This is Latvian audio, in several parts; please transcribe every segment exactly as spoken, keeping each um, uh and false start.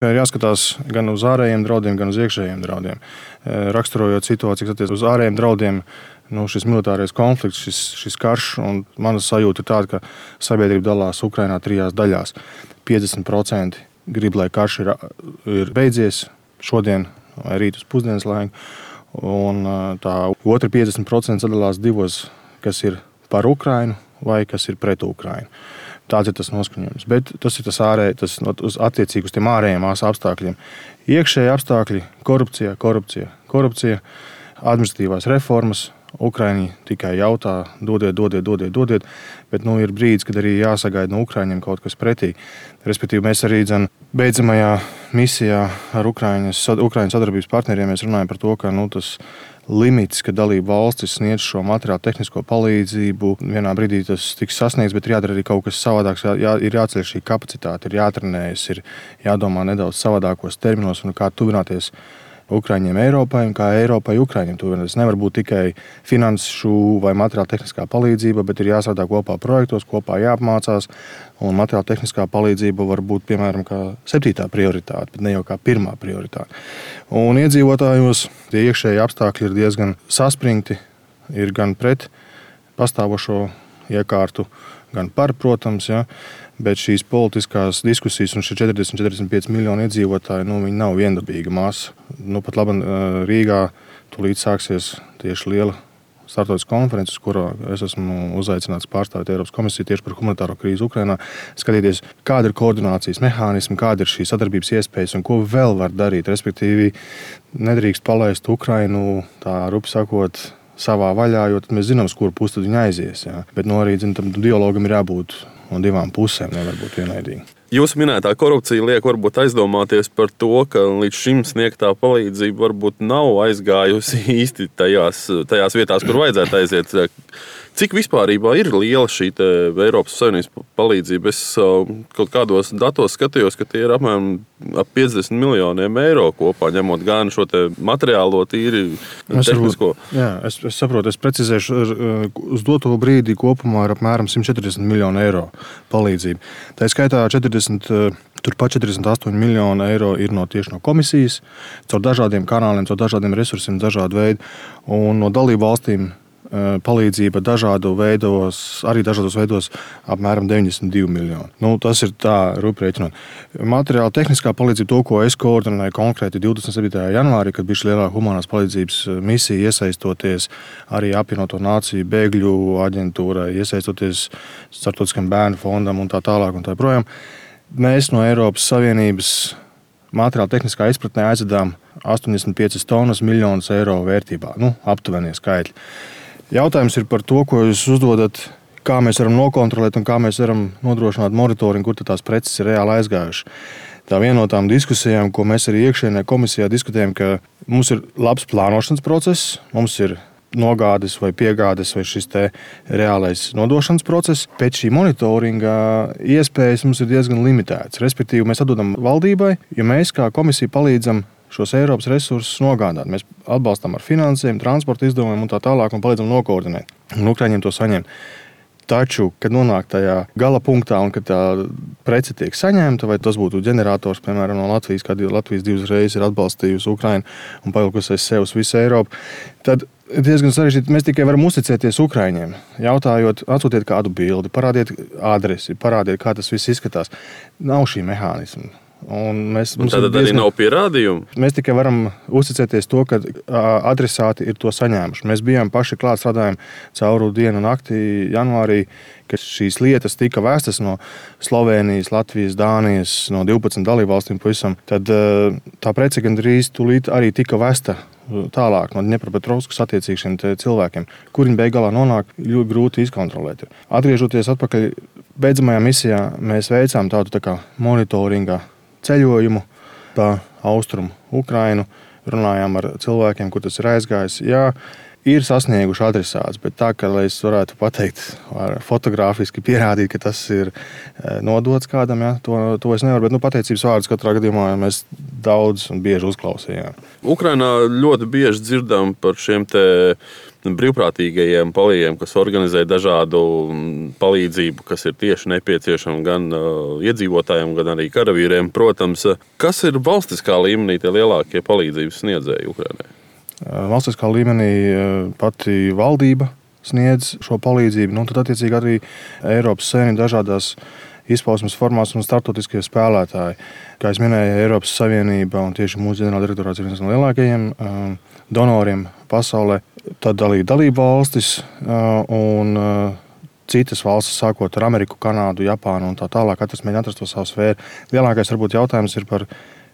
Ir jāskatās gan uz ārējiem draudiem, gan uz iekšējiem draudiem. Raksturojot situāciju, kas attiecas uz ārējiem draudiem, nu, šis militārais konflikts, šis, šis karš, un mana sajūta ir tāda, ka sabiedrība dalās Ukrainā trijās daļās. piecdesmit procenti grib, lai karš ir, ir beidzies šodien vai rīt uz pusdienas laiku, un tā otra piecdesmit procenti sadalās divos, kas ir par Ukrainu vai kas ir pret Ukrainu. Tāds ir tas noskaņojums. Bet tas ir tas ārēji, tas attiecīgi uz tiem ārējiem apstākļiem. Iekšēji apstākļi – korupcija, korupcija, korupcija, administratīvās reformas. Ukraiņi tikai jautā, dodiet, dodiet, dodiet, dodiet, bet nu, ir brīdis, kad arī jāsagaida no Ukraiņiem kaut kas pretī. Respektīvi, mēs arī dzen, beidzamajā misijā ar Ukraiņas, Ukraiņas sadarbības partneriem mēs runājam par to, ka nu, tas limits, ka dalība valstis sniedz šo materiālu tehnisko palīdzību, vienā brīdī tas tiks sasniegts, bet ir jādara arī kaut kas savādāks, jā, ir jāceļ šī kapacitāte, ir jātrenējas, ir jādomā nedaudz savādākos terminos un kā tuvināties Ukraiņiem Eiropai un kā Eiropai Ukraiņiem tuvināties. Nevar būt tikai finanšu vai materiāla tehniskā palīdzība, bet ir jāstrādā kopā projektos, kopā jāapmācās, un materiāla tehniskā palīdzība var būt, piemēram, kā septītā prioritāte, bet ne jau kā pirmā prioritāte. Un iedzīvotājos tie iekšēji apstākļi ir diezgan saspringti, ir gan pret pastāvošo iekārtu, gan par, protams, ja, bet šīs politiskās diskusijas un šie četrdesmit līdz četrdesmit pieci miljoni iedzīvotāji, nu, viņi nav viendabīga masa. Nu, pat labi Rīgā tūlīt sāksies tieši liela starptautiskā konferences, kurā es esmu uzaicināts pārstāvēt Eiropas komisiju tieši par humanitāro krīzi Ukrainā, skatīties, kāda ir koordinācijas mehānismi, kāda ir šī sadarbības iespējas un ko vēl var darīt. Respektīvi, nedrīkst palaist Ukrainu, tā rupi sakot, savā vaļā, jo tad mēs zinām, uz kuru pusi tad viņi aizies. Jā. Bet nu, arī zin, tam dialogam ir jābūt no divām pusēm, nevar būt vienaidīgi. Jūsu minētā korupcija liek varbūt aizdomāties par to, ka līdz šim sniegtā palīdzība varbūt nav aizgājusi īsti tajās, tajās vietās, kur vajadzētu aiziet. Cik vispārībā ir liela šī Eiropas Savienības palīdzība? Es kaut kādos datos skatījos, ka tie ir apmēram ap piecdesmit miljoniem eiro kopā, ņemot gan šo te materiālo tīri tehnisko. Jā, es, es saprotu, es precizēšu, uz doto brīdi kopumā ir apmēram simt četrdesmit miljonu eiro palīdzība. Tā skaitā četrdesmit, turpat četrdesmit astoņi miljoni eiro ir no tieši no komisijas, caur dažādiem kanāliem, caur dažādiem resursiem, dažādu veidu, un no dalību valstīm palīdzība dažādu veidos, arī dažādos veidos apmēram deviņdesmit divi miljoni. Nu, tas ir tā rupi rēķinot. Materiāla tehniskā palīdzība, to, ko es koordinēju konkrēti divdesmit septītajā janvārī, kad bija šī lielā humanās palīdzības misija, iesaistoties arī apvienoto nāciju bēgļu aģentūrai, iesaistoties starptautiskam bērnu fondam un tā tālāk un tā projām. Mēs no Eiropas Savienības materiāla tehniskā izpratnē aizvedām astoņdesmit piecas tonnas miljonus eiro vērtībā, nu, aptuvenie skaitļi. Jautājums ir par to, ko jūs uzdodat, kā mēs varam nokontrolēt un kā mēs varam nodrošināt monitoringu, kur tās preces ir reāli aizgājušas. Tā viena no tām diskusijām, ko mēs arī iekšienē komisijā diskutējam, ka mums ir labs plānošanas process, mums ir nogādes vai piegādes vai šis te reālais nodošanas process. Pēc šī monitoringa iespējas mums ir diezgan limitēts. Respektīvi, mēs atdodam valdībai, ja mēs kā komisija palīdzam šos Eiropas resursus nogādāt. Mēs atbalstam ar finansēm, transporta izdevumiem un tā tālāk un palīdzam nokoordinēt. Un Ukraiņiem to saņemt. Taču, kad nonāk tajā gala punktā un kad tā prece tiek saņemta, vai tas būtu ģenerators, piemēram, no Latvijas, kad Latvijas divas reizes ir atbalstījusi Ukrainu un pavilkusi aiz sev uz visu Eiropu, tad diezgan sarežģīti. Mēs tikai varam uzticēties Ukraiņiem, jautājot, atsūtiet kādu bildi, parādiet adresi, parādiet, kā tas viss izskatās. Nav šī mehānisma. Un mēs, un tad diezgan, arī nav pierādījumu? Mēs tikai varam uzticēties to, ka adresāti ir to saņēmuši. Mēs bijām paši klāt, strādājām cauru dienu un nakti janvārī, kad šīs lietas tika vēstas no Slovēnijas, Latvijas, Dānijas, no divpadsmit dalībvalstīm pavisam. Tad tā prece gandrīz tūlīt arī tika vēsta tālāk no Dņepropetrovskas attiecīgi šiem cilvēkiem, kur viņi beig galā nonāk, ļoti grūti izkontrolēt. Atgriežoties atpakaļ beidzamajā misijā, mēs veicām tādu tā kā monitoringa ceļojumu pa austrumu Ukrainu, runājām ar cilvēkiem, kur tas ir aizgājis. Jā, ir sasnieguši adresāts, bet tā, ka, lai es varētu pateikt, fotogrāfiski pierādīt, ka tas ir nodots kādam, ja, to, to es nevaru, bet nu, pateicības vārdus katrā gadījumā mēs daudz un bieži uzklausījām. Ukrainā ļoti bieži dzirdam par šiem te brīvprātīgajiem palīgiem, kas organizē dažādu palīdzību, kas ir tieši nepieciešama gan uh, iedzīvotājiem, gan arī karavīriem. Protams, kas ir valstiskā līmenī tie lielākie palīdzības sniedzēji Ukrainai? Valstiskā līmenī pati valdība sniedz šo palīdzību, nu, tad attiecīgi arī Eiropas Savienība dažādās izpausmes formās un starptautiskie spēlētāji. Kā es minēju, Eiropas Savienība un tieši mūsu ģenerāldirektorāts ir viens no lielākajiem uh, donoriem pasaulē. Tad arī dalību valstis uh, un uh, citas valstis, sākot ar Ameriku, Kanādu, Japānu un tā tālāk, katrs mēģina atrast to savu sfēru. Lielākais varbūt jautājums ir par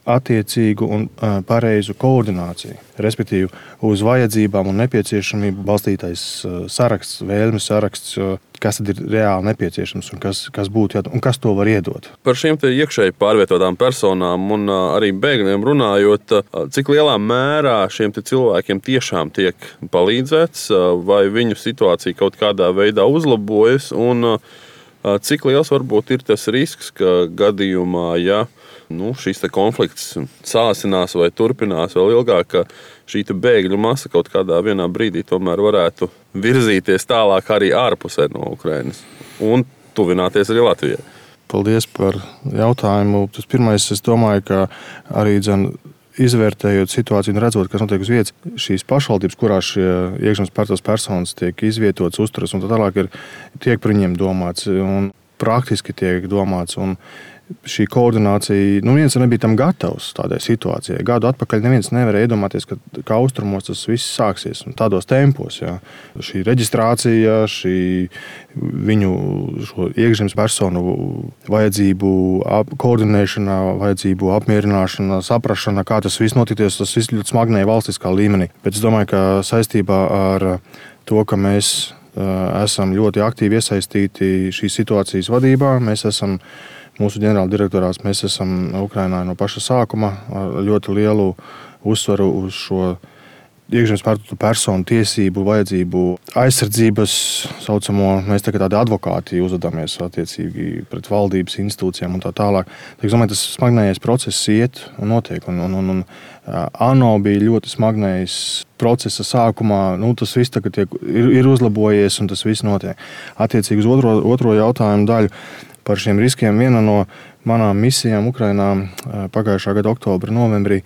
attiecīgu un uh, pareizu koordināciju, respektīvi uz vajadzībām un nepieciešamību balstītais uh, saraksts, vēlmes saraksts, uh, kas tad ir reāli nepieciešams un kas, kas būtu jādara un kas to var iedot. Par šiem te iekšēji pārvietotām personām un uh, arī bēgļiem runājot, uh, cik lielā mērā šiem te cilvēkiem tiešām tiek palīdzēts, uh, vai viņu situācija kaut kādā veidā uzlabojas un uh, cik liels varbūt ir tas risks, ka gadījumā, ja nu, šis konflikts sāsinās vai turpinās vēl ilgāk, ka šī bēgļu masa kaut kādā vienā brīdī tomēr varētu virzīties tālāk arī ārpusē no Ukrainas un tuvināties arī Latvijai. Paldies par jautājumu. Tas pirmais, es domāju, ka arī dzen, izvērtējot situāciju un redzot, kas notiek uz vietas, šīs pašvaldības, kurās šie iekšzemes pārvietotās personas tiek izvietotas, uzturas un tā tālāk, ir, tiek par viņiem domāts un praktiski tiek domāts. Un šī koordinācija, nu viens nebija tam gatavs tādai situācijai. Gadu atpakaļ neviens nevarēja iedomāties, ka, ka austrumos tas viss sāksies un tādos tempos. Jā. Šī reģistrācija, šī viņu iekšzemes personu vajadzību ap, koordinēšana, vajadzību apmierināšana, saprašana, kā tas viss notikties, tas viss ļoti smagnēja valstiskā līmenī. Bet es domāju, ka saistībā ar to, ka mēs uh, esam ļoti aktīvi iesaistīti šīs situācijas vadībā, mēs esam Mūsu ģenerāldirektorāts, mēs esam Ukrainā no paša sākuma ar ļoti lielu uzsvaru uz šo iekšzemes pārvietotu personu tiesību, vajadzību, aizsardzības saucamo. Mēs tagad tādi advokāti uzvedamies attiecīgi pret valdības institūcijām un tā tālāk. Es domāju, tas smagnējais process iet un notiek. Un, un, un, un ANO bija ļoti smagnējs procesa sākumā. Nu, tas viss tagad tiek, ir, ir uzlabojies un tas viss notiek. Attiecīgi uz otro, otro jautājumu daļu. Par šiem riskiem viena no manām misijām Ukrainā pagājušā gada oktobra, novembrī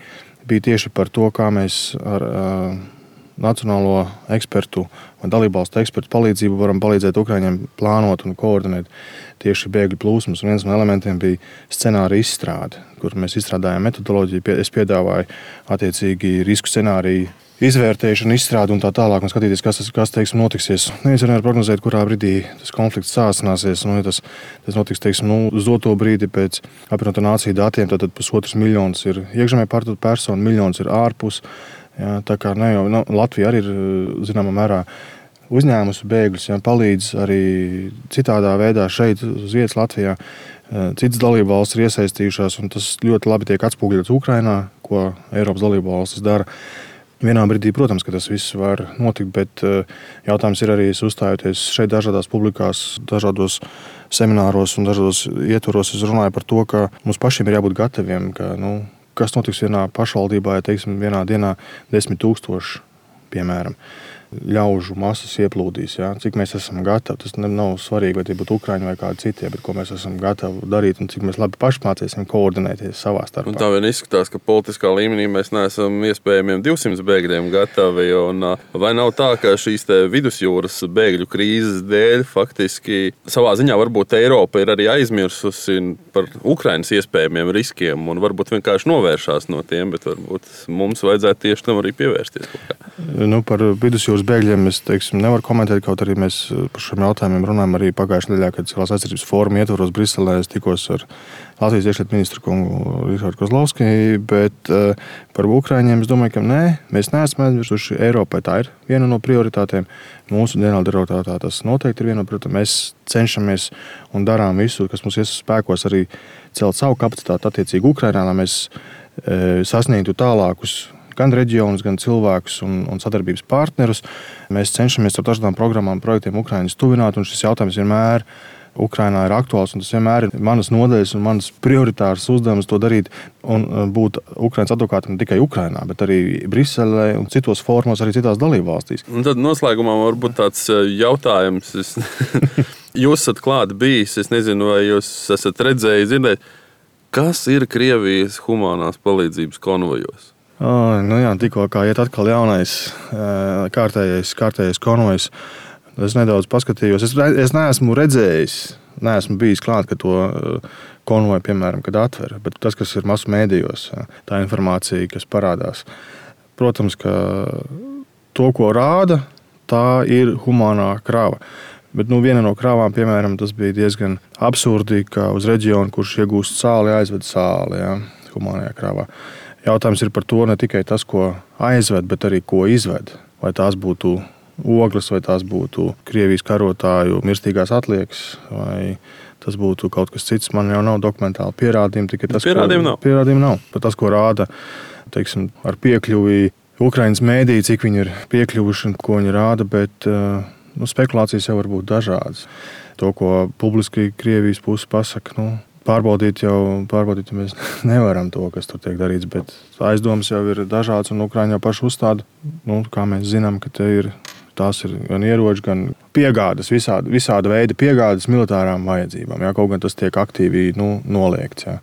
bija tieši par to, kā mēs ar uh, nacionālo ekspertu un dalībvalstu ekspertu palīdzību varam palīdzēt Ukraiņiem plānot un koordinēt tieši bēgļu plūsmas. Un viens no elementiem bija scenārija izstrāde, kur mēs izstrādājām metodoloģiju. Es piedāvāju attiecīgi risku scenāriju izvērtēšanu, izstrādi un tā tālāk, un skatīties, kas, kas teiksim, notiksies. Neviens nevar prognozēt, kurā brīdī tas konflikts sāsināsies. Nu, ja tas, tas notiks teiksim, nu, uz doto brīdi pēc apvienoto nāciju datiem, tad pusotrs miljons ir iekšzemē pārvietotu personu, miljons ir ārpus. Jā, tā kā ne jau nu, Latvija arī ir zināmā mērā uzņēmusi bēgļus, jā, palīdz arī citādā veidā šeit uz vietas Latvijā. Citas dalību valstis ir iesaistījušās, un tas ļoti labi tiek atspūgļots Ukrainā, ko Eiropas dalību valstis dara. Vienā brīdī, protams, ka tas viss var notikt, bet jautājums ir arī uzstājoties šeit dažādās publikās, dažādos semināros un dažādos ietvaros. Es runāju par to, ka mums pašiem ir jābūt gataviem, ka, nu, kas notiks vienā pašvaldībā, ja teiksim, vienā dienā desmit tūkstoši, piemēram, ļaužu masas ieplūdīs. Ja? Cik mēs esam gatavi. Tas nav svarīgi, vai tie būtu Ukraiņi vai kādi citi, bet ko mēs esam gatavi darīt un cik mēs labi paši mācīsim koordinēties savā starpā. Un tā vien izskatās, ka politiskā līmenī mēs neesam iespējamiem divsimt bēgļiem gatavi. Un, vai nav tā, ka šīs vidusjūras bēgļu krīzes dēļ faktiski savā ziņā varbūt Eiropa ir arī aizmirsusi par Ukrainas iespējamiem riskiem un varbūt vienkārši novēršās no tiem, bet varbūt mums vajadzētu tieši tam arī pievērsties. Nu, par vidusjūras bēgļiem es teiksim, nevaru komentēt, kaut arī mēs par šiem jautājumiem runājam arī pagājušajā nedēļā, kad Civilās aizsardzības fóruma ietvaros Briselē. Es tikos ar Latvijas iekšlietu ministru kungu Rihardu Kozlovski, bet uh, par Ukraiņiem es domāju, ka nē, mēs neesam aizmirsuši. Eiropai tā ir viena no prioritātēm. Mūsu ģenerāldirektorātā tas noteikti ir viena no prioritātēm. Mēs cenšamies un darām visu, kas mums ies spēkos, arī celt savu kapacitāti attiecīgi Ukrainā, lai mēs uh, sasniegtu tālākus gan reģionus, gan cilvēkus un, un sadarbības partnerus. Mēs cenšamies ar dažādām programmām, projektiem Ukraiņas tuvināt, un šis jautājums vienmēr Ukrainā ir aktuāls, un tas vienmēr ir manas nodaļas un manas prioritāras uzdevums to darīt un būt Ukrainas advokātam ne tikai Ukrainā, bet arī Briselē un citos formos, arī citās dalībvalstīs. Un tad noslēgumā varbūt tāds jautājums. Es... Jūs esat klāt bijis, es nezinu, vai jūs esat redzējis, dzirdējis, kas ir Krievijas humanās palīdzības konvojos? Oh, nu jā, tikko kā iet atkal jaunais kārtējais, kārtējais konvojs. Es nedaudz paskatījos. Es, es neesmu redzējis, neesmu bijis klāt, ka to konvoju, piemēram, kad atver. Bet tas, kas ir masu mēdījos, tā informācija, kas parādās. Protams, ka to, ko rāda, tā ir humānā krāva. Bet nu, viena no krāvām, piemēram, tas bija diezgan absurdi, ka uz reģionu, kurš iegūst sāli, aizved sāli, jā, humānajā krāvā. Jautājums ir par to ne tikai tas, ko aizved, bet arī ko izved. Vai tās būtu ogles, vai tās būtu Krievijas karotāju mirstīgās atliekas, vai tas būtu kaut kas cits. Man jau nav dokumentāli pierādījumi, tikai tas, pierādījumi nav. Pierādījumi nav. Bet tas, ko rāda, teiksim, ar piekļuvi Ukrainas mēdī, cik viņi ir piekļuvuši un ko viņi rāda, bet nu, spekulācijas jau var būt dažādas. To, ko publiski Krievijas puse pasaka, nu, pārbaudīt jau, pārbaudīt jau mēs nevaram to, kas tur tiek darīts, bet aizdomas jau ir dažādas, un Ukraiņa jau paši uzstāda, nu, kā mēs zinām, ka te ir, tās ir gan ieroči, gan piegādes, visāda, visāda veida piegādes militārām vajadzībām. Jā, kaut gan tas tiek aktīvi nu, noliegts. Jā.